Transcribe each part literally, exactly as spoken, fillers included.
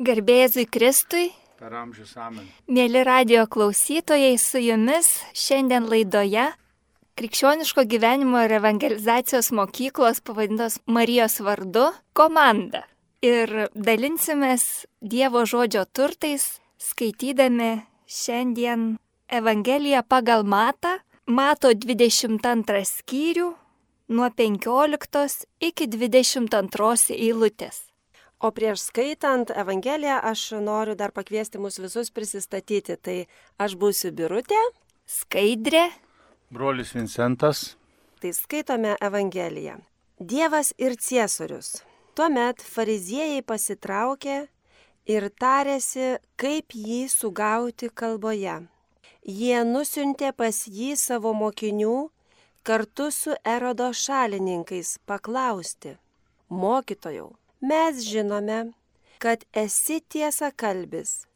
Garbėzui Kristui, per amžius amen. Mėly radijo klausytojai, su jumis šiandien laidoje Krikščioniško gyvenimo ir evangelizacijos mokyklos pavadintos Marijos vardu komanda. Ir dalinsimės Dievo žodžio turtais, skaitydami šiandien Evangeliją pagal Matą, Mato dvidešimt antrą skyrių, nuo penkioliktos iki dvidešimt antros eilutės. O prieš skaitant Evangeliją aš noriu dar pakviesti mus visus prisistatyti. Tai aš būsiu Birutė, Skaidrė, Brolis Vincentas. Tai skaitome Evangeliją. Dievas ir Ciesorius. Tuomet fariziejai pasitraukė ir tarėsi, kaip jį sugauti kalboje. Jie nusiuntė pas jį savo mokinių kartu su Erodo šalininkais paklausti: Mokytojau, mes žinome, kad esi tiesakalbis,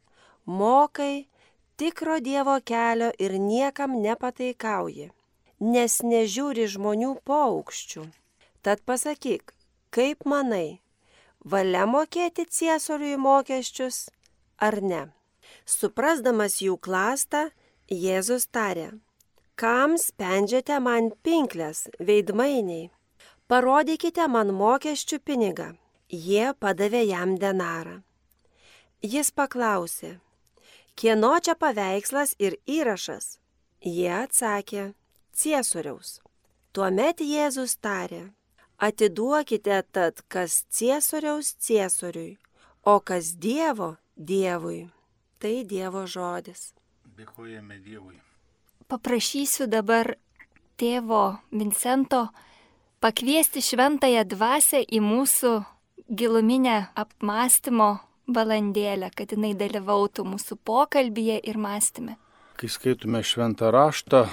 mokai tikro Dievo kelio ir niekam nepataikauji, nes nežiūri žmonių paaukščių. Tad pasakyk, kaip manai, valia mokėti Ciesoriui mokesčius ar ne? Suprasdamas jų klastą, Jėzus tarė: Kam spendžiate man pinkles, veidmainiai? Parodykite man mokesčių pinigą. Jie padavė jam denarą. Jis paklausė: Kieno čia paveikslas ir įrašas? Jie atsakė: Ciesoriaus. Tuomet Jėzus tarė: Atiduokite tad, kas Ciesoriaus Ciesoriui, o kas Dievo Dievui. Tai Dievo žodis. Dėkojame Dievui. Paprašysiu dabar tėvo Vincento pakviesti šventąją dvasią į mūsų giluminę apmąstymo valandėlę, kad jinai dalyvautų mūsų pokalbyje ir mąstyme. Kai skaitume šventą raštą,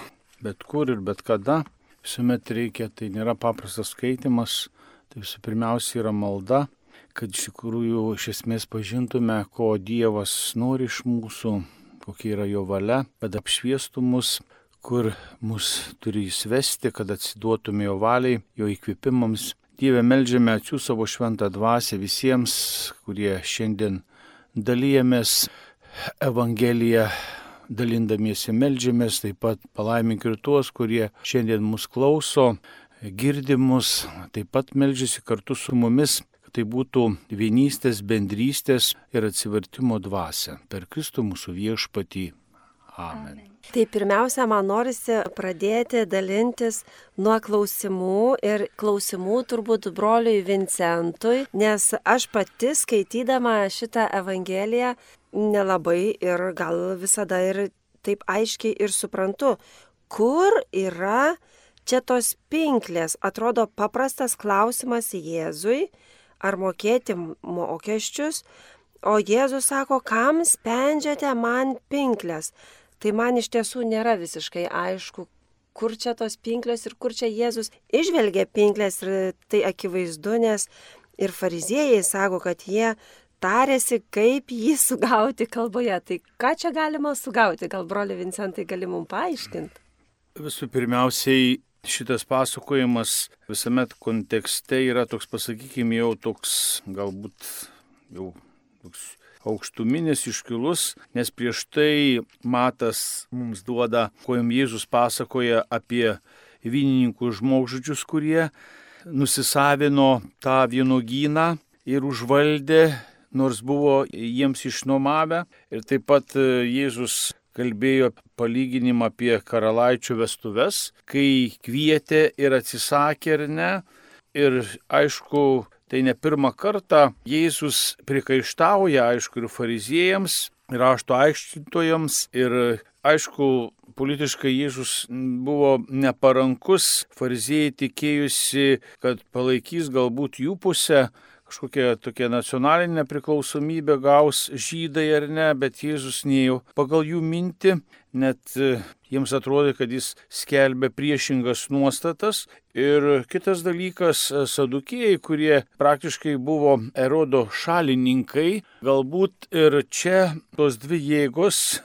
bet kur ir bet kada, visuomet reikia, tai nėra paprastas skaitimas, tai visų pirmiausia yra malda, kad iš tikrųjų iš esmės pažintume, ko Dievas nori iš mūsų, kokia yra jo valia, kad apšviestų mus, kur mus turi įsivesti, kad atsiduotume jo valiai, jo įkvėpimams. Dieve, meldžiame atsiųsk savo šventą dvasią visiems, kurie šiandien dalijamės Evangeliją, dalindamiesi meldžiamės, taip pat palaimink ir tuos, kurie šiandien mus klauso, girdi mus, taip pat meldžiasi kartu su mumis, kad tai būtų vienystės, bendrystės ir atsivertimo dvasia. Per Kristų mūsų viešpatį. Amen. Amen. Tai pirmiausia, man norisi pradėti dalintis nuo klausimų ir klausimų turbūt broliui Vincentui, nes aš pati skaitydama šitą Evangeliją nelabai ir gal visada ir taip aiškiai ir suprantu, kur yra čia tos pinklės. Atrodo paprastas klausimas Jėzui, ar mokėti mokesčius, o Jėzus sako, kam spendžiate man pinklės. Tai man iš tiesų nėra visiškai aišku, kur čia tos pinklės ir kur čia Jėzus išvelgia pinklės, ir tai akivaizdu, nes ir fariziejai sako, kad jie tarėsi, kaip jį sugauti kalboje. Tai ką čia galima sugauti? Gal broli Vincentai gali mums paaiškinti? Visų pirmiausiai, šitas pasakojimas visame kontekste yra toks, pasakykime, jau toks galbūt jau toks aukštuminis, iškilus, nes prieš tai Matas mums duoda, ko jam Jėzus pasakoja apie vynininkų žmogžudžius, kurie nusisavino tą vynuogyną ir užvaldė, nors buvo jiems išnuomavę. Ir taip pat Jėzus kalbėjo palyginimą apie karalaičių vestuves, kai kvietė ir atsisakė ar ne. Ir aišku, tai ne pirmą kartą Jėzus prikaištauja, aišku, ir fariziejams, ir rašto aiškintojams, ir aišku, politiškai Jėzus buvo neparankus, fariziejai tikėjusi, kad palaikys galbūt jų pusę, kažkokia tokia nacionalinė priklausomybė gaus žydai ar ne, bet Jėzus neėjo pagal jų mintį, net jiems atrodė, kad jis skelbė priešingas nuostatas. Ir kitas dalykas, sadukėjai, kurie praktiškai buvo Erodo šalininkai, galbūt ir čia tos dvi jėgos,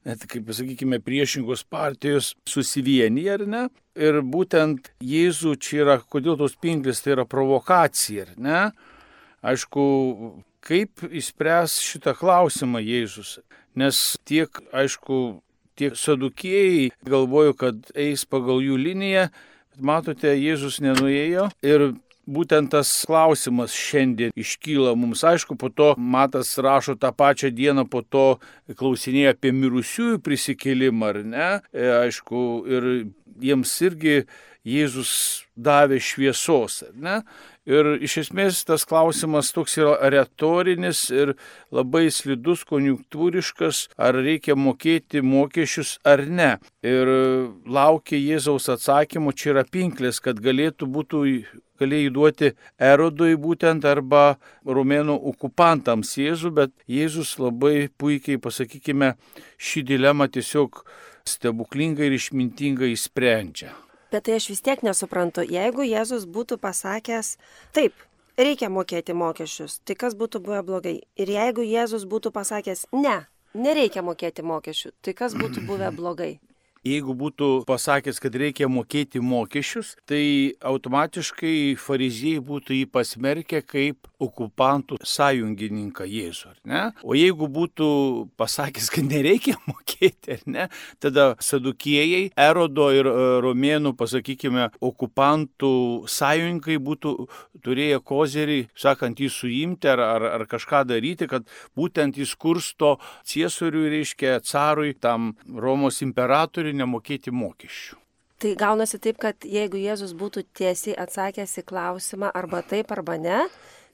net kaip pasakykime, priešingos partijos susivienyje, ar ne? Ir būtent Jėzų čia yra, kodėl tos pinklės, tai yra provokacija, ar ne? Aišku, kaip išspręs šitą klausimą Jėzus. Nes tiek, aišku, tiek sadukėjai galvoju, kad eis pagal jų liniją, bet matote, Jėzus nenuėjo ir būtent tas klausimas šiandien iškyla mums. Aišku, po to Matas rašo tą pačią dieną, po to klausinėja apie mirusiųjų prisikėlimą, ar ne? E, aišku, ir jiems irgi Jėzus davė šviesos, ar ne? Ir iš esmės tas klausimas toks yra retorinis ir labai slidus, konjunktūriškas, ar reikia mokėti mokesčius ar ne. Ir laukia Jėzaus atsakymo, čia yra pinklės, kad galėtų būtų galėjai duoti Erodui būtent arba romėnų okupantams Jėzų, bet Jėzus labai puikiai, pasakykime, šį dilemą tiesiog stebuklingai ir išmintingai išsprendžia. Bet tai aš vis tiek nesuprantu, jeigu Jėzus būtų pasakęs, taip, reikia mokėti mokesčius, tai kas būtų buvę blogai? Ir jeigu Jėzus būtų pasakęs, ne, nereikia mokėti mokesčių, tai kas būtų buvę blogai? Jeigu būtų pasakęs, kad reikia mokėti mokesčius, tai automatiškai fariziejai būtų jį pasmerkę kaip okupantų sąjungininką Jėzų, ar ne? O jeigu būtų pasakęs, kad nereikia mokėti, ar ne, tada sadukėjai, Erodo ir romėnų, pasakykime, okupantų sąjungininkai būtų turėję kozerį, sakant, jį suimti ar, ar, ar kažką daryti, kad būtent jis kursto ciesoriui, reiškia, carui, tam Romos imperatoriui, nemokėti mokesčių. Tai gaunasi taip, kad jeigu Jėzus būtų tiesiai atsakęs į klausimą arba taip arba ne,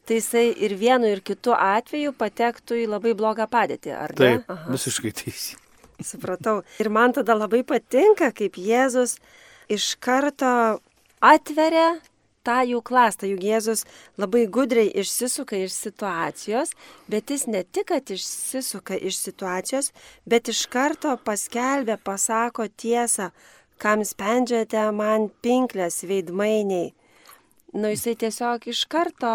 tai jisai ir vienu ir kitu atveju patektų į labai blogą padėtį, ar ne? Taip, aha, visiškai teisingai. Supratau. Ir man tada labai patinka, kaip Jėzus iš karto atveria tą jų klastą, juk Jėzus labai gudriai išsisuka iš situacijos, bet jis ne tik, kad išsisuka iš situacijos, bet iš karto paskelbė, pasako tiesą, kam spendžiate man pinklės veidmainiai. Nu, jisai tiesiog iš karto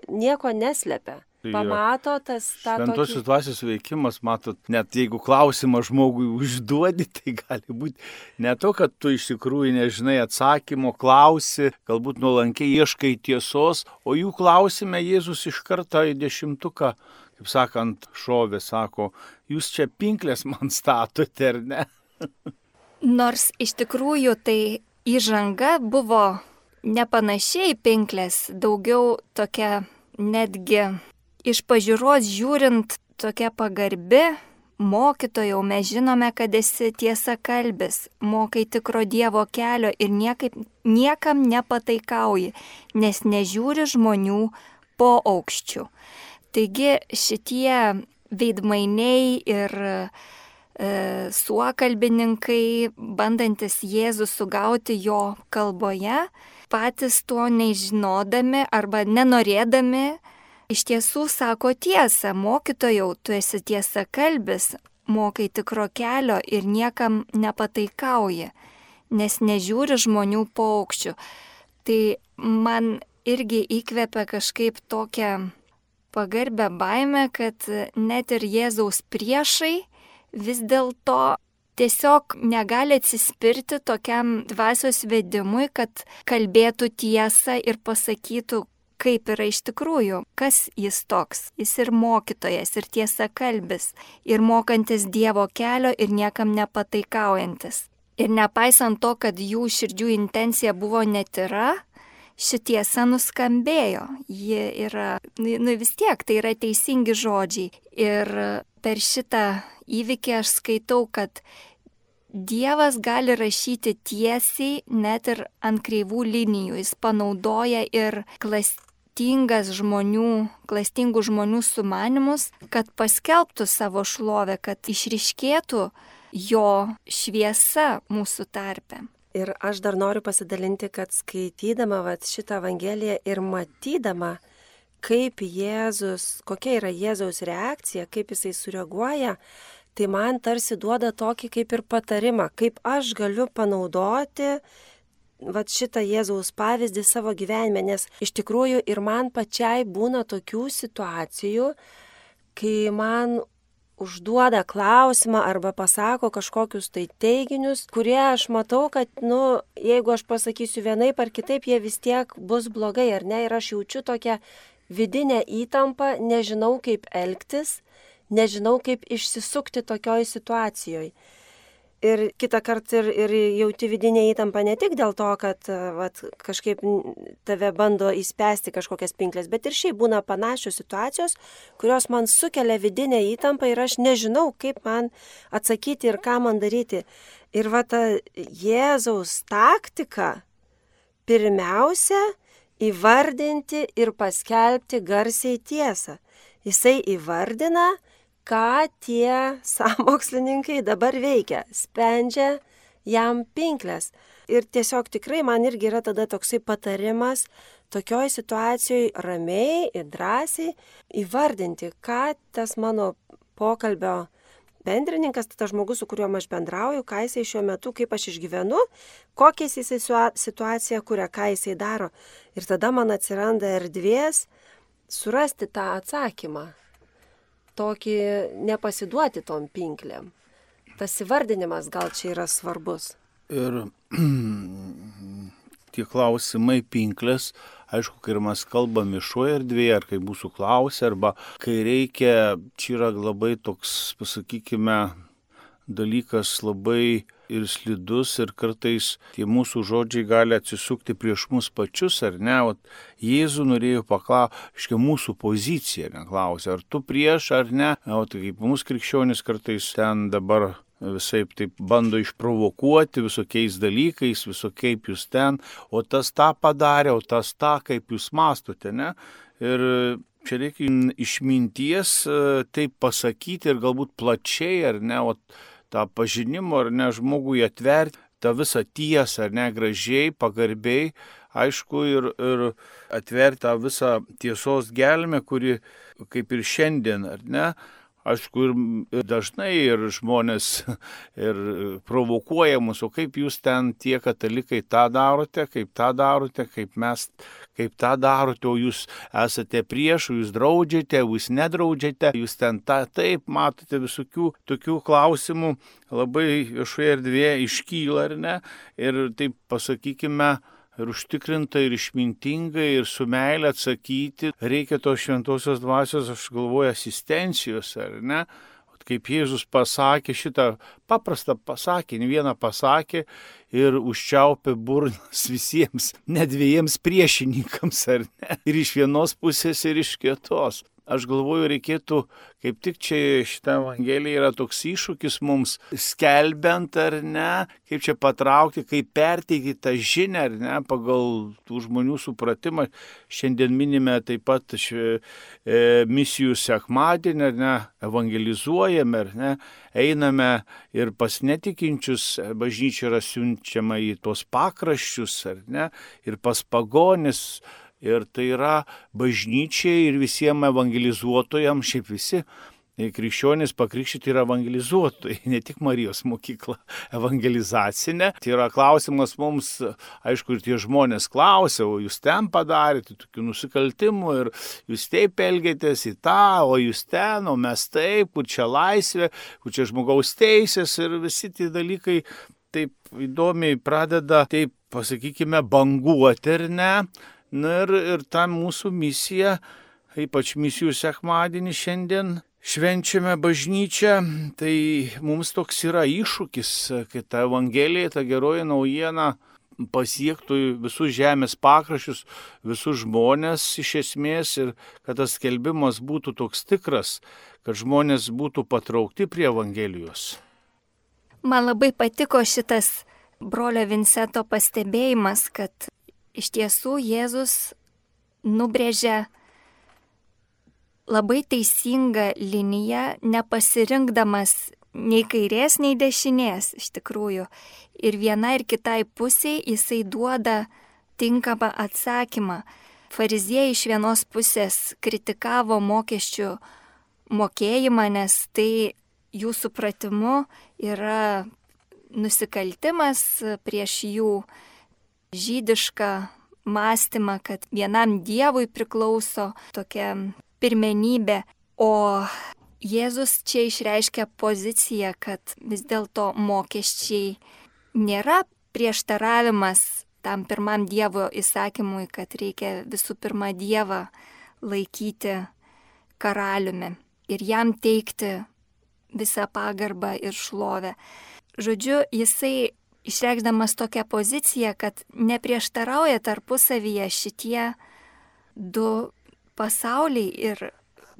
nieko neslepia. Pamato tas tą tokį... Šventosios dvasios veikimas, matot, net jeigu klausimą žmogui užduodi, tai gali būti ne to, kad tu iš tikrųjų nežinai atsakymo, klausi, galbūt nuolankiai ieškai tiesos, o jų klausime Jėzus iš karto į dešimtuką, kaip sakant, šovė, sako, jūs čia pinklės man statote, ar ne? Nors iš tikrųjų tai įžanga buvo nepanašiai pinklės, daugiau tokia netgi iš pažiūros žiūrint tokia pagarbi, mokytojau, mes žinome, kad esi tiesa kalbis, mokai tikro Dievo kelio ir niekaip, niekam nepataikauji, nes nežiūri žmonių po aukščių. Taigi šitie veidmainiai ir e, suokalbininkai, bandantis Jėzų sugauti jo kalboje, patys to nežinodami arba nenorėdami, iš tiesų sako tiesą, mokytojau, tu esi tiesa kalbis, mokai tikro kelio ir niekam nepataikauji, nes nežiūri žmonių paukščių. Tai man irgi įkvepia kažkaip tokią pagarbę baimę, kad net ir Jėzaus priešai vis dėlto tiesiog negali atsispirti tokiam dvasios vedimui, kad kalbėtų tiesą ir pasakytų, kaip yra iš tikrųjų, kas jis toks. Jis ir mokytojas, ir tiesa kalbis, ir mokantis Dievo kelio, ir niekam nepataikaujantis. Ir nepaisant to, kad jų širdžių intencija buvo netira, ši tiesa nuskambėjo. Ji yra, nu vis tiek, tai yra teisingi žodžiai. Ir per šitą įvykį aš skaitau, kad Dievas gali rašyti tiesiai net ir ant kreivų linijų. Jis panaudoja ir klastingas žmonių, klastingų žmonių sumanimus, kad paskelbtų savo šlovę, kad išryškėtų jo šviesa mūsų tarpe. Ir aš dar noriu pasidalinti, kad skaitydama vat, šitą Evangeliją ir matydama, kaip Jėzus, kokia yra Jėzaus reakcija, kaip jisai sureaguoja, tai man tarsi duoda tokį kaip ir patarimą, kaip aš galiu panaudoti vat, šitą Jėzaus pavyzdį savo gyvenime, nes iš tikrųjų ir man pačiai būna tokių situacijų, kai man užduoda klausimą arba pasako kažkokius tai teiginius, kurie aš matau, kad, nu, jeigu aš pasakysiu vienaip ar kitaip, jie vis tiek bus blogai, ar ne, ir aš jaučiu tokią vidinę įtampą, nežinau kaip elgtis, nežinau kaip išsisukti tokioj situacijoje. Ir kitą kartą ir, ir jauti vidinę įtampą ne tik dėl to, kad vat, kažkaip tave bando įspęsti kažkokias pinklės, bet ir šiaip būna panašios situacijos, kurios man sukelia vidinę įtampą ir aš nežinau, kaip man atsakyti ir ką man daryti. Ir va ta Jėzaus taktika pirmiausia įvardinti ir paskelbti garsiai tiesą. Jisai įvardina, ką tie sąmokslininkai dabar veikia, spendžia jam pinklės. Ir tiesiog tikrai man irgi yra tada toksai patarimas tokioj situacijoje ramiai ir drąsiai įvardinti, ką tas mano pokalbio bendrininkas, tas žmogus, su kuriuo aš bendrauju, ką jisai šiuo metu, kaip aš išgyvenu, kokią jisai situaciją kuria, ką jisai daro. Ir tada man atsiranda erdvės surasti tą atsakymą. Tokį nepasiduoti tom pinklėm. Tas įvardinimas gal čia yra svarbus. Ir tie klausimai pinklės, aišku, kai mes kalbam viešoje erdvėje, ar kai mūsų klausia, arba kai reikia, čia yra labai toks, pasakykime, dalykas labai ir slidus ir kartais tie mūsų žodžiai gali atsisukti prieš mus pačius, ar ne? O Jėzų norėjo paklausti, aiškiai, mūsų poziciją neklausė, ar tu prieš, ar ne? O tai kaip mūsų krikščionis kartais ten dabar visaip taip bando išprovokuoti visokiais dalykais, visokiais jūs ten, o tas tą padarė, o tas tą, kaip jūs mastote, ne? Ir čia reikia išminties taip pasakyti ir galbūt plačiai, ar ne, o tą pažinimo, ar ne, žmogui atverti tą visą tiesą, ar ne, gražiai, pagarbiai, aišku, ir, ir atverti tą visą tiesos gelmę, kuri kaip ir šiandien, ar ne, aišku, ir, ir dažnai ir žmonės ir provokuoja mus, o kaip jūs ten tie katalikai tą darote, kaip tą darote, kaip mes, kaip tą darote, o jūs esate prieš, jūs draudžiate, jūs nedraudžiate, jūs ten tą, taip, matote visokių tokių klausimų, labai viešoje erdvėje iškyla, ar ne, ir taip pasakykime, ir užtikrintai, ir išmintingai, ir su meile atsakyti. Reikia tos šventosios dvasios, aš galvoju, asistencijos, ar ne? Kaip Jėzus pasakė šitą paprastą pasakinį, vieną pasakė ir užčiaupė burnas visiems, ne dviejiems priešininkams, ar ne? Ir iš vienos pusės, ir iš kitos. Aš galvoju, reikėtų, kaip tik čia šitą evangeliją yra toks iššūkis mums skelbiant, ar ne, kaip čia patraukti, kaip perteikti tą žinią, ar ne, pagal tų žmonių supratimą. Šiandien minime taip pat ši, e, misijų sekmadienį, ar ne, evangelizuojame, ar ne, einame ir pas netikinčius, bažnyčia yra siunčiama į tos pakraščius, ar ne, ir pas pagonis. Ir tai yra bažnyčiai ir visiems evangelizuotojams, šiaip visi krikščionys pakrikštyti yra evangelizuotojai, ne tik Marijos mokykla evangelizacinė. Tai yra klausimas mums, aišku, ir tie žmonės klausia, o jūs ten padarėte tokių nusikaltimų ir jūs taip elgėtės į tą, o jūs ten, o mes taip, kur čia laisvė, kur čia žmogaus teisės ir visi tie dalykai taip įdomiai pradeda, taip pasakykime, banguoti, ar ne? Na ir, ir ta mūsų misija, ypač misijų sekmadienį šiandien švenčiame bažnyčią, tai mums toks yra iššūkis, kad ta evangelija, ta geroji naujiena pasiektų visus žemės pakraščius, visus žmonės iš esmės ir kad tas skelbimas būtų toks tikras, kad žmonės būtų patraukti prie evangelijos. Man labai patiko šitas brolio Vinceto pastebėjimas, kad iš tiesų Jėzus nubrėžia labai teisingą liniją, nepasirinkdamas nei kairės, nei dešinės iš tikrųjų. Ir viena ir kitai pusiai jisai duoda tinkamą atsakymą. Fariziejai iš vienos pusės kritikavo mokesčių mokėjimą, nes tai jų supratimu yra nusikaltimas prieš jų žydišką mąstymą, kad vienam dievui priklauso tokia pirmenybė, o Jėzus čia išreiškia poziciją, kad vis dėlto mokesčiai nėra prieštaravimas tam pirmam Dievo įsakymui, kad reikia visų pirma Dievą laikyti karaliumi ir jam teikti visą pagarbą ir šlovę. Žodžiu, jisai išreikšdamas tokią poziciją, kad neprieštarauja tarpusavyje šitie du pasauliai ir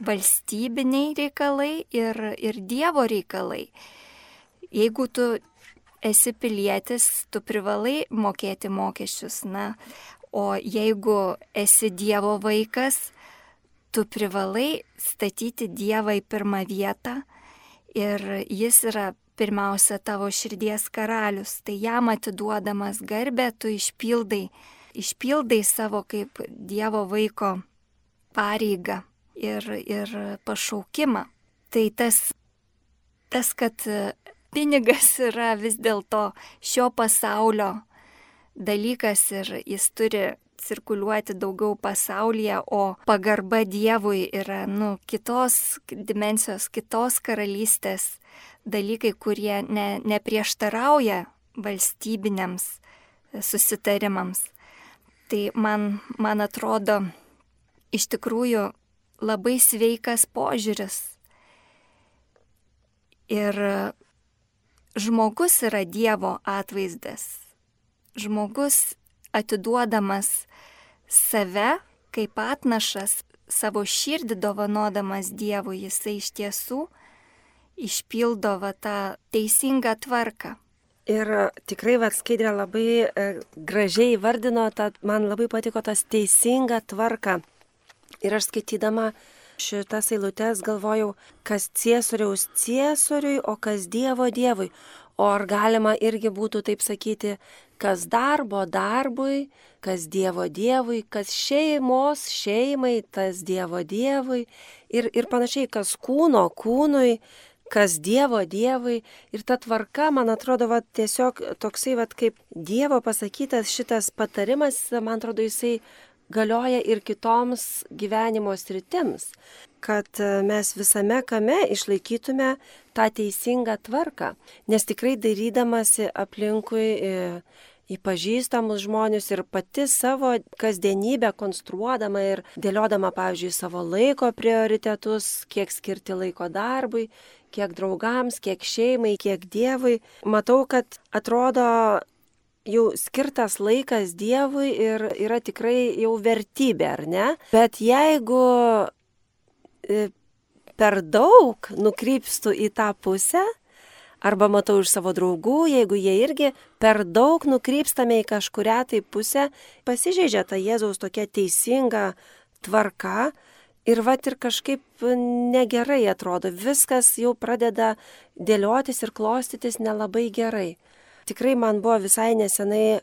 valstybiniai reikalai ir, ir Dievo reikalai. Jeigu tu esi pilietis, tu privalai mokėti mokesčius, na, o jeigu esi Dievo vaikas, tu privalai statyti Dievą į pirmą vietą ir jis yra pirmiausia tavo širdies karalius, tai jam atiduodamas garbę tu išpildai, išpildai savo kaip Dievo vaiko pareigą ir, ir pašaukimą. Tai tas, tas, kad pinigas yra vis dėlto šio pasaulio dalykas ir jis turi cirkuliuoti daugiau pasaulyje, o pagarba Dievui yra, nu, kitos dimensijos, kitos karalystės dalykai, kurie ne, neprieštarauja valstybiniams susitarimams. Tai man, man atrodo iš tikrųjų labai sveikas požiūris. Ir žmogus yra Dievo atvaizdas. Žmogus atiduodamas save kaip atnašas, savo širdį dovanodamas Dievui, jisai iš tiesų išpildo va tą teisingą tvarką. Ir tikrai va Skaidrė labai e, gražiai vardino, tą, man labai patiko tas teisinga tvarka. Ir aš skaitydama šitas eilutes galvojau, kas Ciesoriaus Ciesoriui, o kas Dievo Dievui. O ar galima irgi būtų taip sakyti, kas darbo darbui, kas Dievo Dievui, kas šeimos šeimai, tas Dievo Dievui ir, ir panašiai, kas kūno kūnui, kas Dievo Dievui. Ir ta tvarka, man atrodo, va, tiesiog toksai, va, kaip Dievo pasakytas šitas patarimas, man atrodo, jisai galioja ir kitoms gyvenimo sritims, kad mes visame kame išlaikytume tą teisingą tvarką. Nes tikrai dairydamasi aplinkui į, į pažįstamus žmonės ir pati savo kasdienybę konstruodama ir dėliodama, pavyzdžiui, savo laiko prioritetus, kiek skirti laiko darbui, kiek draugams, kiek šeimai, kiek Dievui, matau, kad atrodo jau skirtas laikas Dievui ir yra tikrai jau vertybė, ar ne? Bet jeigu per daug nukrypstų į tą pusę, arba matau iš savo draugų, jeigu jie irgi per daug nukrypstame į kažkurią tai pusę, pasižeidžia ta Jėzaus tokia teisinga tvarka ir vat ir kažkaip negerai atrodo, viskas jau pradeda dėliotis ir klostytis nelabai gerai. Tikrai man buvo visai nesenai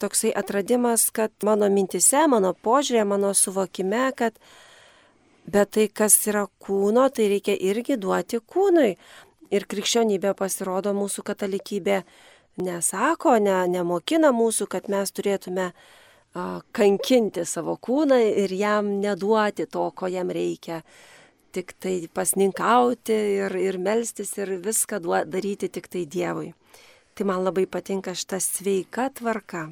toksai atradimas, kad mano mintise, mano požiūrė, mano suvokime, kad bet tai, kas yra kūno, tai reikia irgi duoti kūnui. Ir krikščionybė pasirodo, mūsų katalikybė nesako, ne, nemokina mūsų, kad mes turėtume a, kankinti savo kūną ir jam neduoti to, ko jam reikia. Tik tai pasninkauti ir, ir melstis ir viską duo, daryti tik tai Dievui. Tai man labai patinka šita sveika tvarka.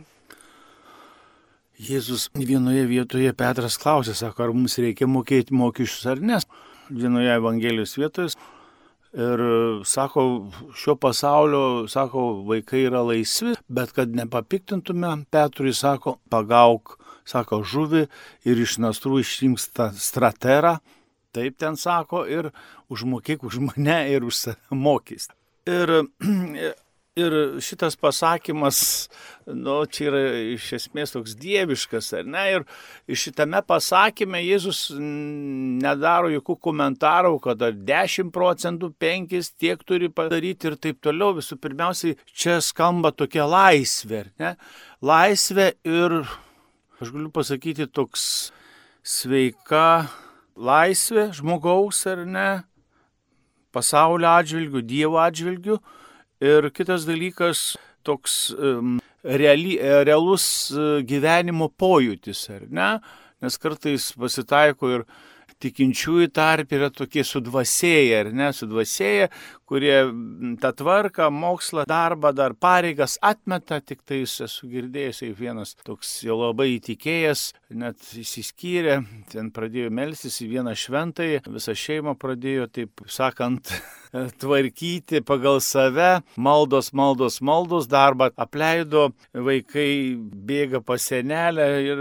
Jėzus vienoje vietoje Petras klausė, sako, ar mums reikia mokėti mokesčius ar ne. Vienoje Evangelijos vietoje ir sako, šio pasaulio, sako, vaikai yra laisvi, bet kad nepapiktintume, Petrui sako, pagauk, sako, žuvį ir iš nasrų išimk straterą, taip ten sako, ir užmokėk už mane ir už save mokys. Ir Ir šitas pasakymas, nu, čia yra iš esmės toks dieviškas, ar ne? Ir šitame pasakyme Jėzus nedaro jokių komentarų, kad ar dešimt procentų, penkis tiek turi padaryti ir taip toliau. Visų pirmiausiai, čia skamba tokia laisvė, ar ne? Laisvė ir, aš galiu pasakyti, toks sveika laisvė žmogaus, ar ne? Pasaulio atžvilgių, Dievo atžvilgių. Ir kitas dalykas, toks um, reali, realus gyvenimo pojūtis, ar ne? Nes kartais pasitaiko ir tikinčiųjų tarp yra tokie sudvasėję, ar ne, sudvasėję, kurie tą tvarką, mokslą, darbą, dar pareigas atmeta, tik tai esu girdėjęs, kaip vienas toks jau labai įtikėjęs, net įsiskyrė, ten pradėjo melstis į vieną šventąjį, visą šeimą pradėjo, taip sakant, tvarkyti pagal save, maldos, maldos, maldos, darbą apleido, vaikai bėga pas senelę ir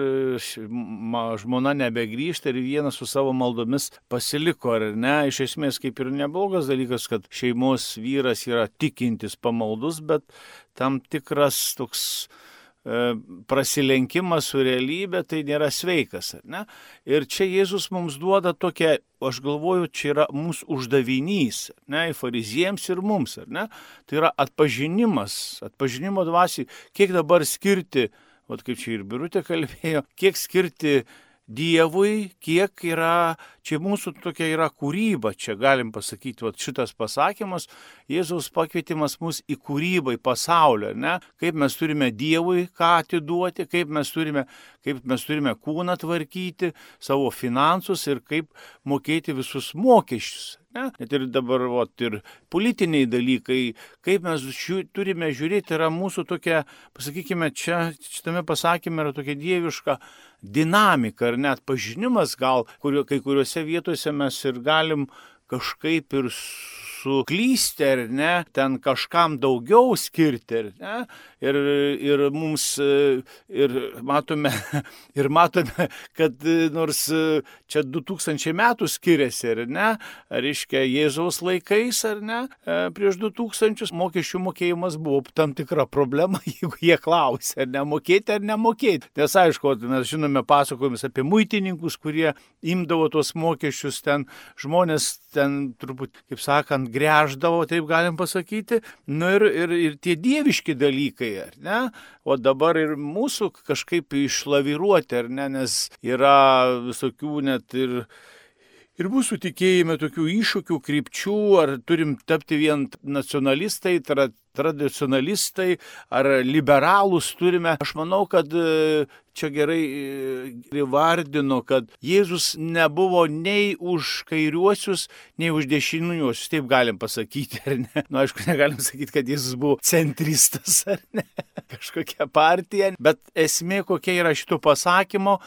žmona nebegrįžta ir vienas su savo maldomis pasiliko, ar ne? Iš esmės kaip ir neblogas dalykas, kad šeimos vyras yra tikintis pamaldus, bet tam tikras toks prasilenkimas su realybė, tai nėra sveikas, ar ne? Ir čia Jėzus mums duoda tokią, aš galvoju, čia yra mūsų uždavinys, ne, fariziems ir mums, ar ne? Tai yra atpažinimas, atpažinimo dvasiai, kiek dabar skirti, vat kaip čia ir Birutė kalbėjo, kiek skirti Dievui, kiek yra, čia mūsų tokia yra kūryba, čia galim pasakyti, vat šitas pasakymas, Jėzaus pakvietimas mus į kūrybą, į pasaulio, ne? Kaip mes turime Dievui ką atiduoti, kaip mes turime, kaip mes turime kūną tvarkyti, savo finansus ir kaip mokėti visus mokesčius. Ne? Net ir dabar, vat, ir politiniai dalykai, kaip mes žiū, turime žiūrėti, yra mūsų tokia, pasakykime, čia šitame pasakyme yra tokia dieviška dinamika ar net pažinimas gal, kurio, kai kuriuose vietose mes ir galim kažkaip ir suklysti, ar ne, ten kažkam daugiau skirti, ar ne, ir, ir mums, ir matome, ir matome, kad nors čia du tūkstančiai metų skiriasi, ar ne, reiškia Jėzaus laikais, ar ne, prieš du tūkstančius mokesčių mokėjimas buvo tam tikra problema, jeigu jie klausė, ar nemokėti, ar nemokėti. Nes aišku, mes žinome pasakojimus apie muitininkus, kurie imdavo tuos mokesčius, ten žmonės ten turbūt, kaip sakant, gręždavo, taip galim pasakyti, nu ir, ir, ir tie dieviški dalykai, ar ne, o dabar ir mūsų kažkaip išlaviruoti, ar ne, nes yra visokių net ir, ir mūsų tikėjime tokių iššūkių, krypčių, ar turim tapti vien nacionalistai, tra, tradicionalistai, ar liberalus turime. Aš manau, kad čia gerai įvardino, kad Jėzus nebuvo nei už kairiuosius, nei už dešiniuosius, taip galim pasakyti, ar ne? Nu, aišku, negalim sakyti, kad Jėzus buvo centristas, ar ne? Kažkokia partija, bet esmė kokia yra šito pasakymo,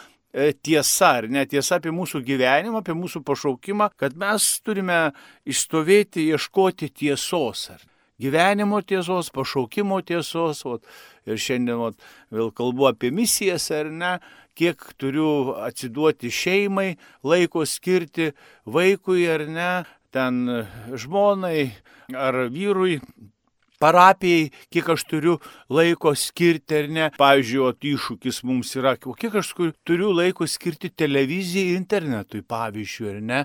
tiesa, ar ne, tiesa apie mūsų gyvenimą, apie mūsų pašaukimą, kad mes turime išstovėti, ieškoti tiesos, ar gyvenimo tiesos, pašaukimo tiesos, ot, ir šiandien ot, vėl kalbu apie misijas, ar ne, kiek turiu atsiduoti šeimai, laiko skirti vaikui, ar ne, ten žmonai ar vyrui, parapijai, kiek aš turiu laiko skirti, ar ne. Pavyzdžiui, ot, iššūkis mums yra, o kiek aš turiu laiko skirti televizijai ir internetui, pavyzdžiui, ar ne.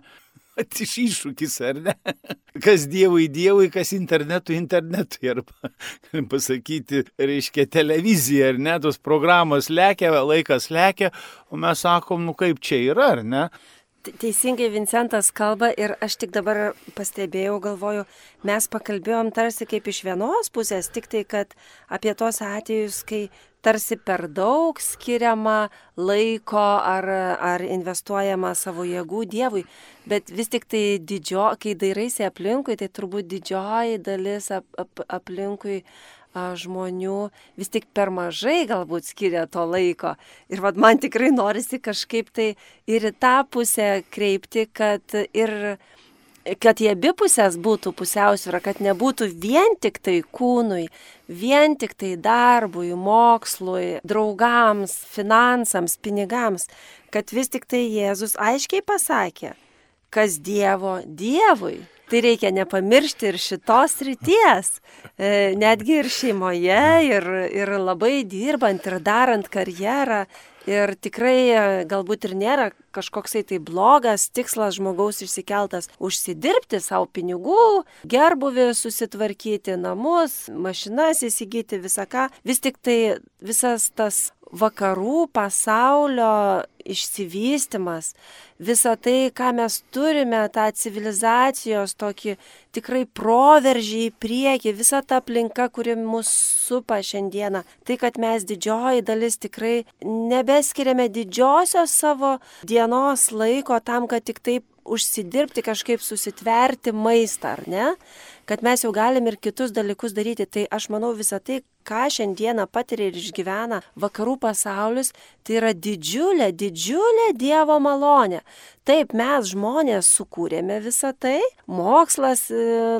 Iš iššūkis, ar ne? Kas Dievui Dievui, kas internetui internetui, arba, galim pasakyti, reiškia televizija, ar ne, tos programos lekia, laikas lekia, o mes sakom, nu kaip čia yra, ar ne? Teisingai Vincentas kalba ir aš tik dabar pastebėjau, galvoju, mes pakalbėjom tarsi kaip iš vienos pusės, tik tai, kad apie tos atvejus, kai tarsi per daug skiriama laiko ar, ar investuojama savo jėgų Dievui, bet vis tik tai didžio, kai dairaisi aplinkui, tai turbūt didžioji dalis ap, ap, aplinkui a, žmonių vis tik per mažai galbūt skiria to laiko. Ir vad man tikrai norisi kažkaip tai ir į tą pusę kreipti, kad ir kad į abi pusės būtų pusiausvyra, kad nebūtų vien tik tai kūnui, vien tik tai darbui, mokslui, draugams, finansams, pinigams, kad vis tik tai Jėzus aiškiai pasakė, kas Dievo Dievui. Tai reikia nepamiršti ir šitos ryties, e, netgi ir šeimoje, ir, ir labai dirbant, ir darant karjerą. Ir tikrai galbūt ir nėra kažkoksai tai blogas tikslas žmogaus išsikeltas užsidirbti savo pinigų, gerbuvį susitvarkyti, namus, mašinas įsigyti, visą ką. Vis tik tai visas tas vakarų pasaulio išsivystymas, visa tai, ką mes turime, tą civilizacijos tokį tikrai proveržį į priekį, visa ta aplinka, kuri mus supa šiandieną, tai, kad mes didžioji dalis tikrai nebe nebeskiriame didžiosios savo dienos laiko tam, kad tik taip užsidirbti, kažkaip susitverti maistą, ar ne? Kad mes jau galim ir kitus dalykus daryti. Tai aš manau visą tai, ką šiandieną patiria ir išgyvena vakarų pasaulis, tai yra didžiulė, didžiulė Dievo malonė. Taip, mes žmonės sukūrėme visą tai, mokslas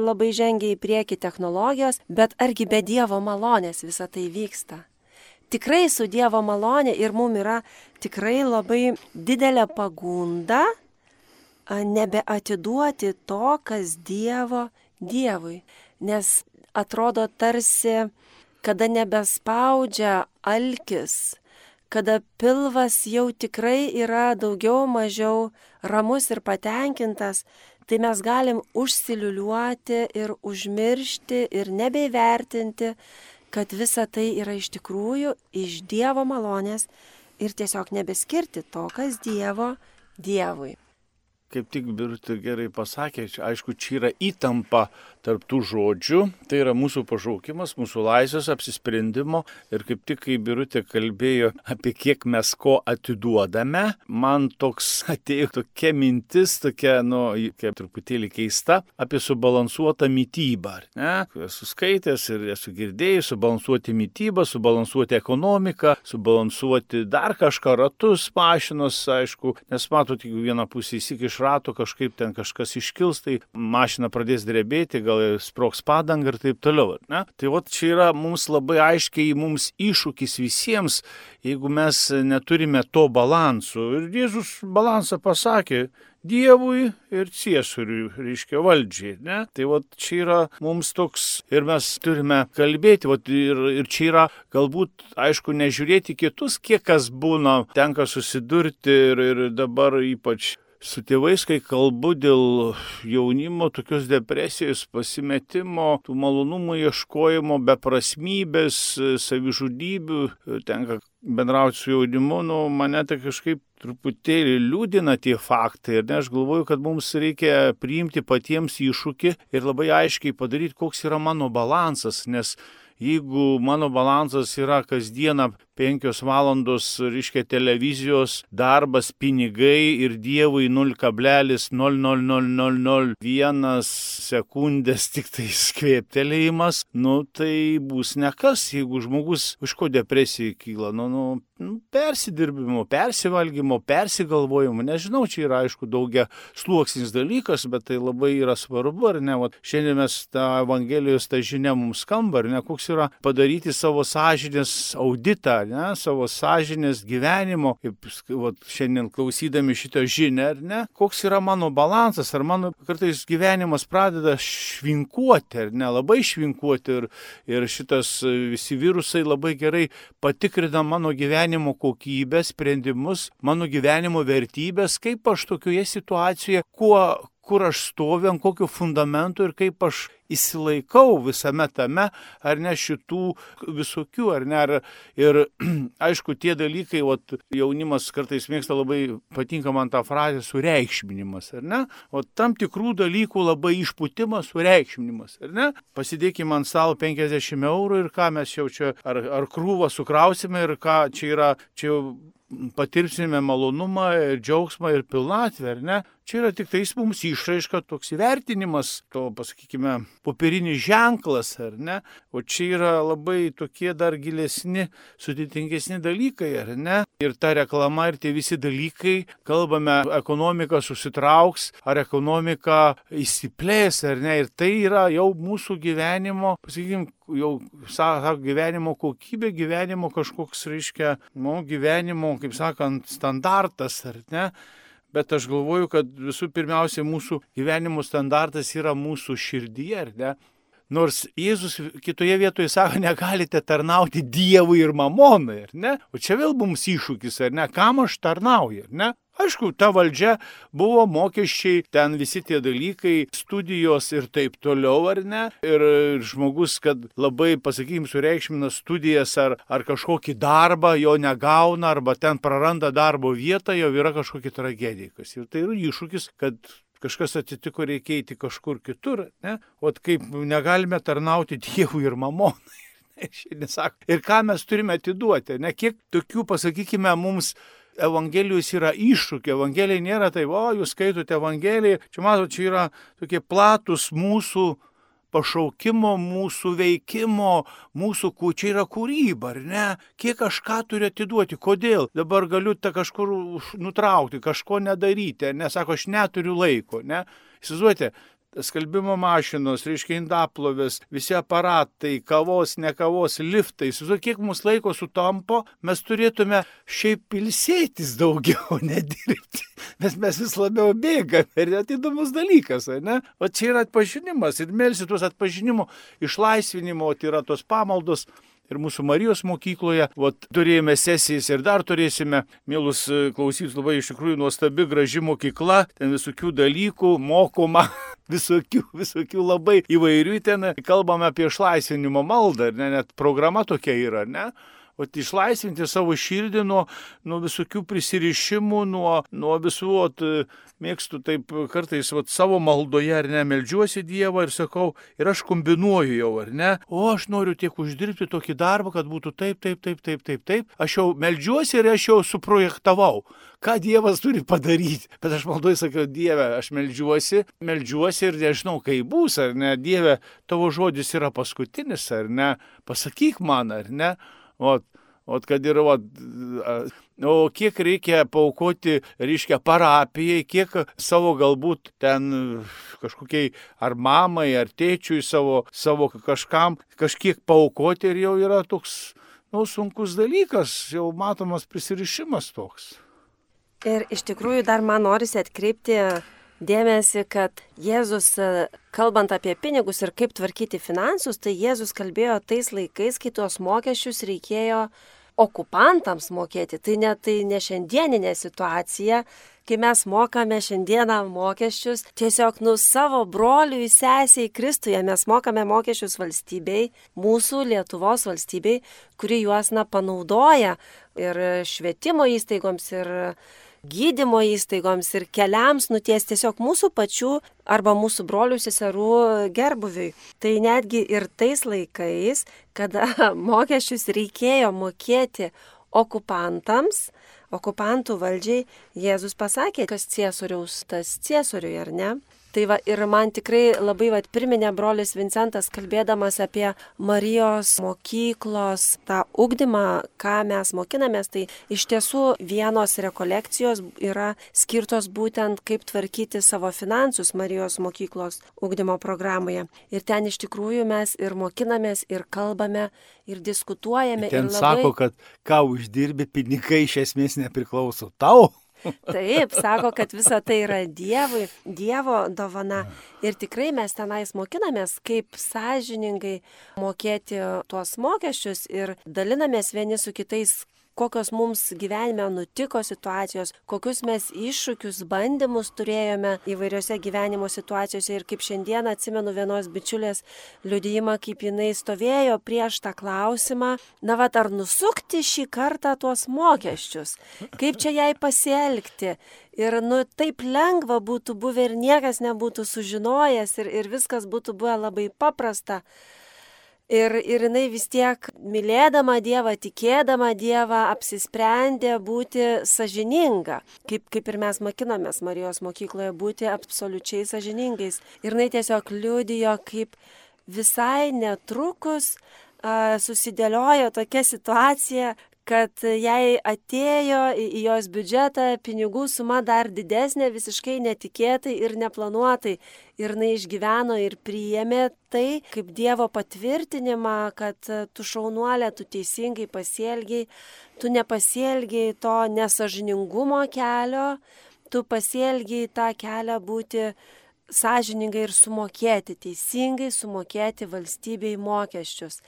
labai žengia į priekį, technologijos, bet argi be Dievo malonės visą tai vyksta? Tikrai su Dievo malonė ir mum yra tikrai labai didelė pagunda nebeatiduoti to, kas Dievo Dievui. Nes atrodo tarsi, kada nebespaudžia alkis, kada pilvas jau tikrai yra daugiau mažiau ramus ir patenkintas, tai mes galim užsiliuliuoti ir užmiršti ir nebeįvertinti, kad visa tai yra iš tikrųjų iš Dievo malonės ir tiesiog nebeskirti to, kas Dievo Dievui. Kaip tik Birutė gerai pasakė, aišku, čia yra įtampa tarp tų žodžių, tai yra mūsų pašaukimas, mūsų laisvės apsisprendimo ir kaip tik, kai Birutė kalbėjo apie kiek mes ko atiduodame, man toks atėjo tokia mintis, tokia, nu, kaip truputėlį keista, apie subalansuotą mitybą, ne? Esu skaitęs ir esu girdėjęs, subalansuoti mitybą, subalansuoti ekonomiką, subalansuoti dar kažką, ratus, mašinos, aišku, nes matot, jeigu vieną pusę įsikiš rato, kažkaip ten kažkas iškils, tai mašina pradės drebėti, gal sprogs padangą ir taip toliau. Ne? Tai vat čia yra mums labai aiškiai mums iššūkis visiems, jeigu mes neturime to balansų. Ir Jėzus balansą pasakė Dievui ir Ciesoriui, reiškia valdžiai. Ne? Tai vat čia yra mums toks ir mes turime kalbėti. Vat ir, ir čia yra galbūt, aišku, nežiūrėti kitus, kiek kas būna, tenka susidurti ir, ir dabar ypač su tėvais, kai kalbu dėl jaunimo, tokios depresijos, pasimetimo, tų malonumų ieškojimo, beprasmybės, savižudybių, tenka bendrauti su jaunimu, nu, mane tai kažkaip truputėlį liūdina tie faktai. Ir ne, aš galvoju, kad mums reikia priimti patiems iššūkį ir labai aiškiai padaryti, koks yra mano balansas, nes jeigu mano balansas yra kasdieną penkios valandos, reiškia, televizijos, darbas, pinigai ir Dievui nulis kablelis nol nol nol nol nol vienas sekundės tik tai skvėptelėjimas, nu tai bus nekas, jeigu žmogus iš ko depresija kyla, nu, nu, nu persidirbimo, persivalgymo, persigalvojimo, nežinau, čia yra aišku daugia sluoksnis dalykas, bet tai labai yra svarbu, ar ne, vat, šiandien mes tą Evangelijos tą žinią mums skamba, ar ne, koks yra padaryti savo sąžinės auditą, ne, savo sąžinės gyvenimo, kaip vat, šiandien klausydami šitą žinią, ar ne, koks yra mano balansas, ar mano kartais gyvenimas pradeda švinkuoti, ar ne, labai švinkuoti ir, ir šitas visi virusai labai gerai patikrina mano gyvenimo kokybę, sprendimus, mano gyvenimo vertybės, kaip aš tokioje situacijoje, kuo kur aš stoviu, ant kokio fundamento ir kaip aš įsilaikau visame tame, ar ne šitų visokių, ar ne. Ar, ir aišku, tie dalykai, ot, jaunimas kartais mėgsta labai, patinka man tą frazę, sureikšminimas, ar ne. O tam tikrų dalykų labai išpūtimas, sureikšminimas, ar ne. Pasidėkime ant stalo penkiasdešimt eurų ir ką mes jau čia, ar, ar krūvą sukrausime ir ką čia yra, čia jau patirsime malonumą ir džiaugsmą ir pilnatvę, ar ne? Čia yra tik tais mums išraiška, toks įvertinimas, to, pasakykime, popierinis ženklas, ar ne? O čia yra labai tokie dar gilesni, sudėtingesni dalykai, ar ne? Ir ta reklama ir tie visi dalykai, kalbame, ekonomika susitrauks, ar ekonomika įsiplės, ar ne? Ir tai yra jau mūsų gyvenimo, pasakykime, jau sako, gyvenimo kokybė, gyvenimo kažkoks, reiškia, nu, gyvenimo, kaip sakant, standartas, ar ne? Bet aš galvoju, kad visų pirmiausia mūsų gyvenimo standartas yra mūsų širdyje, ar ne? Nors Jėzus kitoje vietoje sako, negalite tarnauti Dievui ir mamonai, ar ne? O čia vėl mums iššūkis, ar ne? Kam aš tarnauju, ar ne? Aišku, ta valdžia buvo mokesčiai, ten visi tie dalykai, studijos ir taip toliau, ar ne? Ir žmogus, kad labai, pasakykime, sureikšmina studijas ar, ar kažkokį darbą, jo negauna, arba ten praranda darbo vietą, jau yra kažkokia tragedija. Ir tai yra iššūkis, kad kažkas atsitiko, reikia eiti kažkur kitur, ne? O kaip negalime tarnauti Dievui ir mamonai. Šiandien sako, ir ką mes turime atiduoti, ne kiek tokių, pasakykime, mums Evangelijos yra iššūkiai. Evangelija nėra taip, o jūs skaitote Evangeliją, čia matote, čia yra tokie platus mūsų pašaukimo, mūsų veikimo, mūsų, čia yra kūryba, ar ne? Kiek aš ką turiu atiduoti, kodėl? Dabar galiu tą kažkur nutraukti, kažko nedaryti, nes sako, aš neturiu laiko, ne? Įsivaizduojate, skalbimo mašinos, reiškia indaplovės, visi aparatai, kavos, ne kavos, liftai. Įsivaizduojate, kiek mūsų laiko sutampo, mes turėtume šiaip ilsėtis daugiau, nedirbti. Nes mes vis labiau bėgame ir net įdomus dalykas, ne? O čia yra atpažinimas ir melsi tuos atpažinimo, išlaisvinimo, tai yra tos pamaldos. Ir mūsų Marijos mokykloje, vat, turėjome sesijas ir dar turėsime, mielus klausytus, labai iš tikrųjų nuostabi, graži mokykla, ten visokių dalykų, mokoma, visokių, visokių labai įvairių, ten kalbame apie išlaisvinimo maldą, ne, net programa tokia yra, ne? O išlaisvinti savo širdį nuo, nuo visokių prisirišimų, nuo, nuo visų, ot, mėgstu taip kartais ot, savo maldoje, ar ne, meldžiuosi Dievą ir sakau, ir aš kombinuoju jau, ar ne, o aš noriu tiek uždirbti tokį darbą, kad būtų taip, taip, taip, taip, taip, taip, aš jau meldžiuosi ir aš jau suprojektavau, ką Dievas turi padaryti, bet aš maldoju sakiau, Dieve, aš meldžiuosi, meldžiuosi ir nežinau, kaip bus, ar ne, Dieve, tavo žodis yra paskutinis, ar ne, pasakyk man, ar ne. O, o kad ir, o, o kiek reikia paaukoti, reiškia, parapijai, kiek savo galbūt ten kažkokiai ar mamai, ar tėčiui savo, savo kažkam, kažkiek paaukoti ir jau yra toks, nu, sunkus dalykas, jau matomas prisirišimas toks. Ir iš tikrųjų dar man norisi atkreipti dėmesį, kad Jėzus, kalbant apie pinigus ir kaip tvarkyti finansus, tai Jėzus kalbėjo tais laikais, kai tuos mokesčius reikėjo okupantams mokėti. Tai ne, tai ne šiandieninė situacija, kai mes mokame šiandieną mokesčius tiesiog nu savo broliui, sesiai Kristuje. Mes mokame mokesčius valstybei, mūsų Lietuvos valstybei, kuri juos na, panaudoja ir švietimo įstaigoms, ir gydymo įstaigoms ir keliams nuties tiesiog mūsų pačių arba mūsų brolių seserų gerbuviui. Tai netgi ir tais laikais, kada mokesčius reikėjo mokėti okupantams, okupantų valdžiai, Jėzus pasakė, kas ciesoriaus, tas ciesoriui, ar ne? Tai va, ir man tikrai labai va, priminė brolis Vincentas, kalbėdamas apie Marijos mokyklos tą ugdymą, ką mes mokinamės, tai iš tiesų vienos rekolekcijos yra skirtos būtent kaip tvarkyti savo finansus Marijos mokyklos ugdymo programoje. Ir ten iš tikrųjų mes ir mokinamės, ir kalbame, ir diskutuojame. Ten ir labai... sako, kad ką uždirbi, pinigai iš esmės nepriklauso tau. Taip, sako, kad visa tai yra Dievui, Dievo dovana. Ir tikrai mes tenais mokinamės, kaip sąžiningai mokėti tuos mokesčius ir dalinamės vieni su kitais, kokios mums gyvenime nutiko situacijos, kokius mes iššūkius, bandymus turėjome įvairiose gyvenimo situacijose. Ir kaip šiandien atsimenu vienos bičiulės liudijimą, kaip jinai stovėjo prieš tą klausimą, na vat, ar nusukti šį kartą tuos mokesčius, kaip čia jai pasielgti. Ir nu taip lengva būtų buvę ir niekas nebūtų sužinojęs ir, ir viskas būtų buvę labai paprasta. Ir, ir jinai vis tiek mylėdama Dievą, tikėdama Dievą, apsisprendė būti sąžininga, kaip, kaip ir mes mokinomės Marijos mokykloje, būti absoliučiai sąžiningais. Ir jinai tiesiog liudijo, kaip visai netrukus a, susidėliojo tokia situacija, kad jai atėjo į jos biudžetą pinigų suma dar didesnė, visiškai netikėtai ir neplanuotai. Ir jinai išgyveno ir priėmė tai kaip Dievo patvirtinimą, kad tu šaunuolė, tu teisingai pasielgiai, tu nepasielgiai to nesąžiningumo kelio, tu pasielgiai tą kelią būti sąžiningai ir sumokėti, teisingai sumokėti valstybei mokesčius.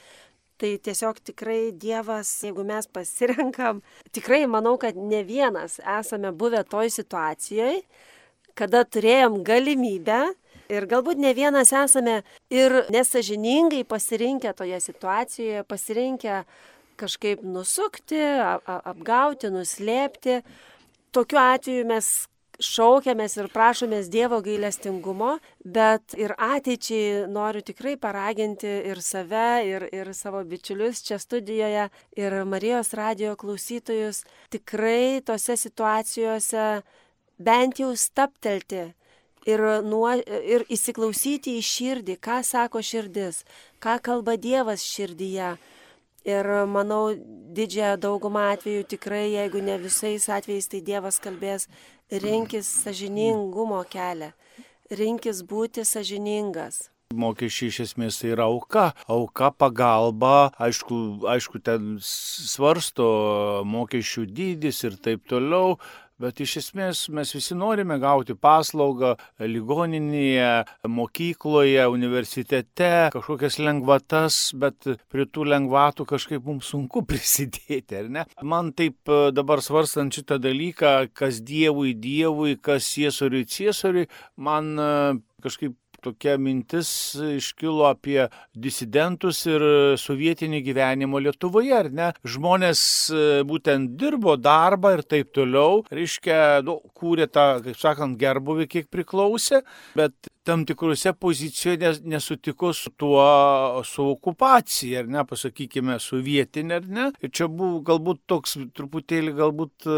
Tai tiesiog tikrai Dievas, jeigu mes pasirenkam, tikrai manau, kad ne vienas esame buvę toj situacijoje, kada turėjom galimybę ir galbūt ne vienas esame ir nesąžiningai pasirinkę toje situacijoje, pasirinkę kažkaip nusukti, apgauti, nuslėpti. Tokiu atveju mes šaukiamės ir prašomės Dievo gailestingumo, bet ir ateičiai noriu tikrai paraginti ir save, ir, ir savo bičiulius čia studijoje, ir Marijos radijo klausytojus tikrai tose situacijose bent jau staptelti ir, nuo, ir įsiklausyti į širdį, ką sako širdis, ką kalba Dievas širdyje. Ir manau, didžiąją daugumą atvejų tikrai, jeigu ne visais atvejais, tai Dievas kalbės, rinkis sąžiningumo kelią, rinkis būti sąžiningas. Mokesčiai iš esmės tai yra auka, auka pagalba, aišku, aišku, ten svarsto mokesčių dydis ir taip toliau. Bet iš esmės mes visi norime gauti paslaugą ligoninėje, mokykloje, universitete, kažkokias lengvatas, bet prie tų lengvatų kažkaip mums sunku prisidėti, ar ne? Man taip dabar svarstant šitą dalyką, kas Dievui Dievui, kas Ciesoriui Ciesoriui, man kažkaip tokia mintis iškilo apie disidentus ir sovietinį gyvenimą Lietuvoje, ar ne? Žmonės būtent dirbo darbą ir taip toliau, reiškia, nu, kūrė tą, kaip sakant, gerbuvį, kiek priklausė, bet tam tikrose pozicijose nesutiko su tuo, su okupacija, ar ne, pasakykime, sovietinė, ar ne? Ir čia buvo galbūt toks truputėlį galbūt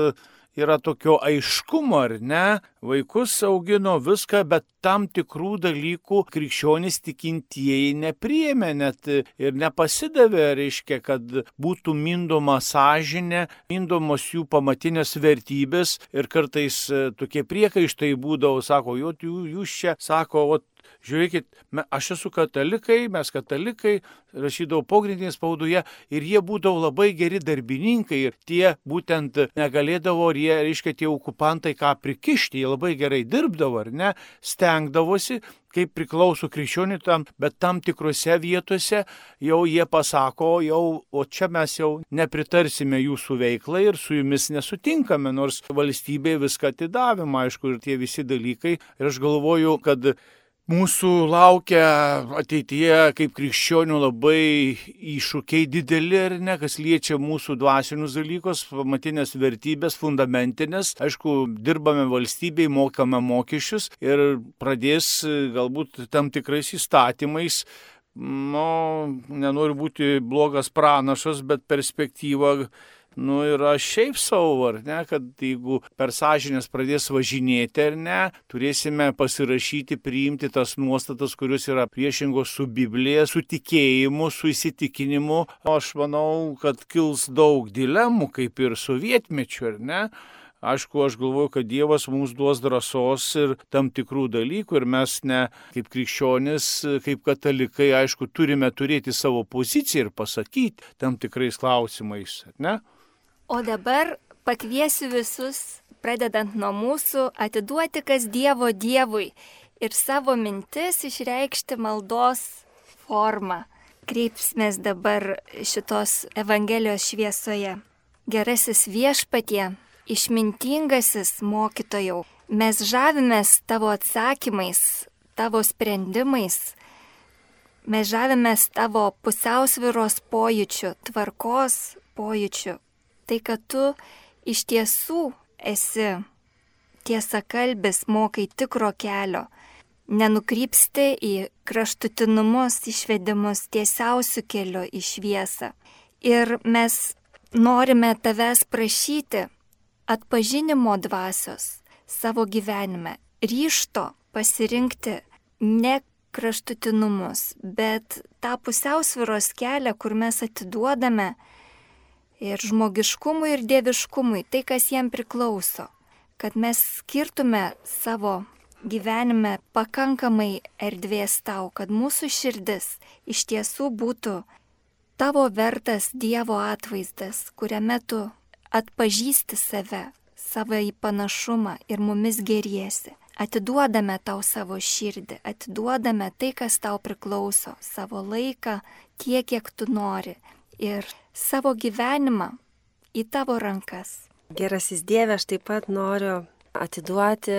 yra tokio aiškumo, ar ne, vaikus augino viską, bet tam tikrų dalykų krikščionys tikintieji nepriėmė net ir nepasidavė, reiškia, kad būtų mindoma sąžinė, mindomos jų pamatinės vertybės ir kartais tokie priekaištai būdavo, sako, jūs čia, sako, ot, žiūrėkit, aš esu katalikai, mes katalikai, rašydavau pogrindinėje spaudoje ir jie būdavo labai geri darbininkai ir tie būtent negalėdavo, ir jie, reiškia, tie okupantai ką prikišti, jie labai gerai dirbdavo, ar ne, stengdavosi, kaip priklauso krikščioniui tam, bet tam tikrose vietose jau jie pasako, jau, o čia mes jau nepritarsime jūsų veiklai ir su jumis nesutinkame, nors valstybė viską atidavimo, aišku, ir tie visi dalykai. Ir aš galvoju, kad mūsų laukia ateityje kaip krikščionių labai iššūkiai dideli, ar ne, kas liečia mūsų dvasinius dalykus, pamatinės vertybės, fundamentinės. Aišku, dirbame valstybei, mokame mokesčius ir pradės galbūt tam tikrais įstatymais, nu, nenoriu būti blogas pranašas, bet perspektyva, nu, yra šiaip savo, ar ne, kad jeigu per sąžinės pradės važinėti, ar ne, turėsime pasirašyti, priimti tas nuostatas, kurios yra priešingos su Biblija, su tikėjimu, su įsitikinimu. Aš manau, kad kils daug dilemų, kaip ir sovietmečiu, ar ne. Aišku, aš galvoju, kad Dievas mums duos drąsos ir tam tikrų dalykų ir mes ne kaip krikščionis, kaip katalikai, aišku, turime turėti savo poziciją ir pasakyti tam tikrais klausimais, ne? O dabar pakviesiu visus, pradedant nuo mūsų, atiduoti kas Dievo Dievui ir savo mintis išreikšti maldos formą. Kreipsimės dabar šitos Evangelijos šviesoje. Gerasis Viešpatie, išmintingasis mokytojau, mes žavimės tavo atsakymais, tavo sprendimais, mes žavimės tavo pusiausvyros pojūčiu, tvarkos pojūčiu. Tai, kad tu iš tiesų esi tiesakalbis, mokai tikro kelio, nenukrypsti į kraštutinumus, išvedimus tiesiausių kelių į šviesą. Ir mes norime tavęs prašyti atpažinimo dvasios savo gyvenime, ryžto pasirinkti ne kraštutinumus, bet tą pusiausvyros kelią, kur mes atiduodame ir žmogiškumui, ir dieviškumui, tai, kas jam priklauso, kad mes skirtume savo gyvenime pakankamai erdvės tau, kad mūsų širdis iš tiesų būtų tavo vertas Dievo atvaizdas, kuriame tu atpažįsti save, savo į panašumą ir mumis geriesi. Atiduodame tau savo širdį, atiduodame tai, kas tau priklauso, savo laiką, tiek, kiek tu nori. Ir savo gyvenimą į tavo rankas. Gerasis Dieve, aš taip pat noriu atiduoti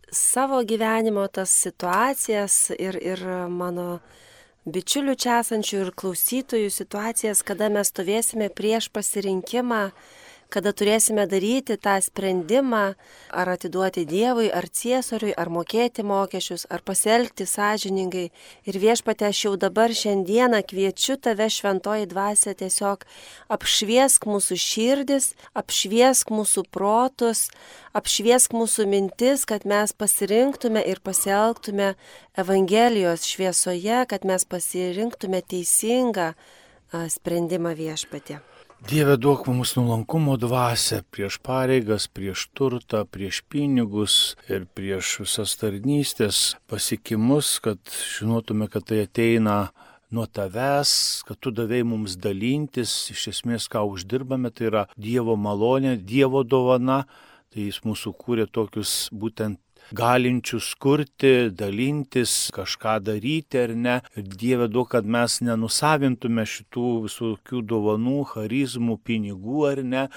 savo gyvenimo tas situacijas ir, ir mano bičiulių čia esančių ir klausytojų situacijas, kada mes stovėsime prieš pasirinkimą, kada turėsime daryti tą sprendimą, ar atiduoti Dievui, ar ciesoriui, ar mokėti mokesčius, ar pasielgti sąžiningai. Ir Viešpatie, aš jau dabar šiandieną kviečiu tave, šventoji dvasia, tiesiog apšviesk mūsų širdis, apšviesk mūsų protus, apšviesk mūsų mintis, kad mes pasirinktume ir pasielgtume Evangelijos šviesoje, kad mes pasirinktume teisingą sprendimą, Viešpatie. Dieve, duok mums nuolankumo dvasią prieš pareigas, prieš turtą, prieš pinigus ir prieš visas tarnystės pasiekimus, kad žinotume, kad tai ateina nuo tavęs, kad tu davėjai mums dalintis, iš esmės, ką uždirbame, tai yra Dievo malonė, Dievo dovana, tai jis mūsų kūrė tokius būtent galinčius kurti, dalintis, kažką daryti ar ne. Ir Dieve, duok, kad mes nenusavintume šitų visokių dovanų, charizmų, pinigų ar ne,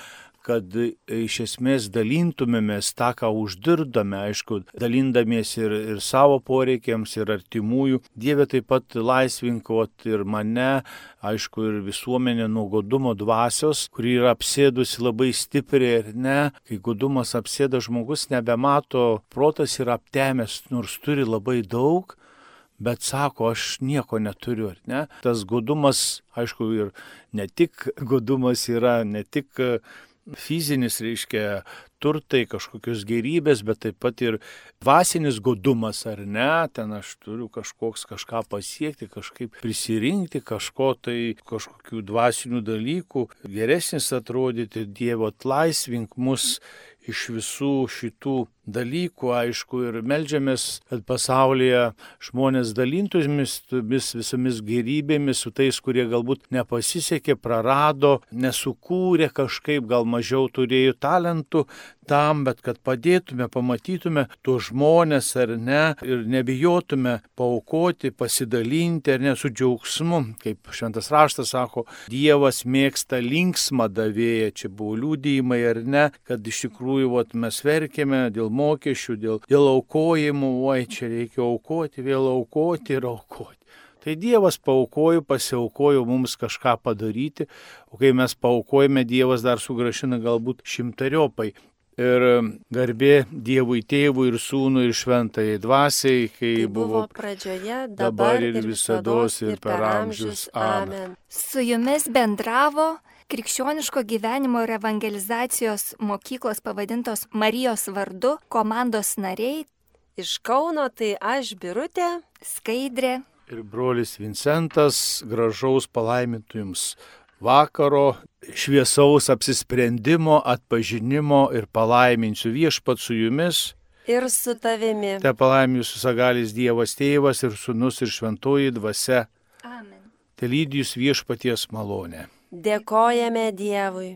kad iš esmės dalintumėmės tą, ką uždirbdame, aišku, dalindamiesi ir, ir savo poreikiams, ir artimųjų. Dieve, taip pat laisvink ir mane, aišku, ir visuomenė nuo godumo dvasios, kuri yra apsėdusi labai stipriai ir ne. Kai godumas apsėda, žmogus nebemato, protas yra aptemęs, nors turi labai daug, bet sako, aš nieko neturiu, ar ne? Tas godumas, aišku, ir ne tik godumas yra, ne tik fizinis, reiškia, turtai, kažkokios gerybės, bet taip pat ir dvasinis godumas, ar ne, ten aš turiu kažkoks kažką pasiekti, kažkaip prisirinkti, kažko tai, kažkokių dvasinių dalykų, geresnis atrodyti. Dievo, atlaisvink mus iš visų šitų dalykų, aišku, ir meldžiamės, kad pasaulyje žmonės dalintųmis visomis gerybėmis su tais, kurie galbūt nepasisekė, prarado, nesukūrė kažkaip, gal mažiau turėjo talentų tam, bet kad padėtume, pamatytume tuos žmonės ar ne ir nebijotume paaukoti, pasidalinti ar ne su džiaugsmu. Kaip šventas raštas sako, Dievas mėgsta linksmą davėją, čia buvo liudijimai ar ne, kad iš tikrųjų vat, mes verkėme dėl mokesčių, dėl, dėl aukojimų, oi, čia reikia aukoti, vėl aukoti ir aukoti. Tai Dievas paaukojo, pasiaukojo mums kažką padaryti, o kai mes paaukojame, Dievas dar sugrąžina galbūt šimtariopai. Ir garbė Dievui Tėvui ir Sūnui ir Šventajai Dvasiai, kai tai buvo, buvo pradžioje, dabar ir visados ir per amžius. Amen. Su jumis bendravo Krikščioniško gyvenimo ir evangelizacijos mokyklos pavadintos Marijos vardu komandos nariai. Iš Kauno tai aš, Birutė, Skaidrė ir brolis Vincentas. Gražaus palaimintų jums vakaro, šviesaus apsisprendimo, atpažinimo ir palaiminsiu Viešpat su jumis. Ir su tavimi. Te palaimin jūsų sagalis Dievas Tėvas ir Sūnus ir Šventoji Dvasia. Amen. Te lydi jūs Viešpaties malonė. Dėkojame Dievui.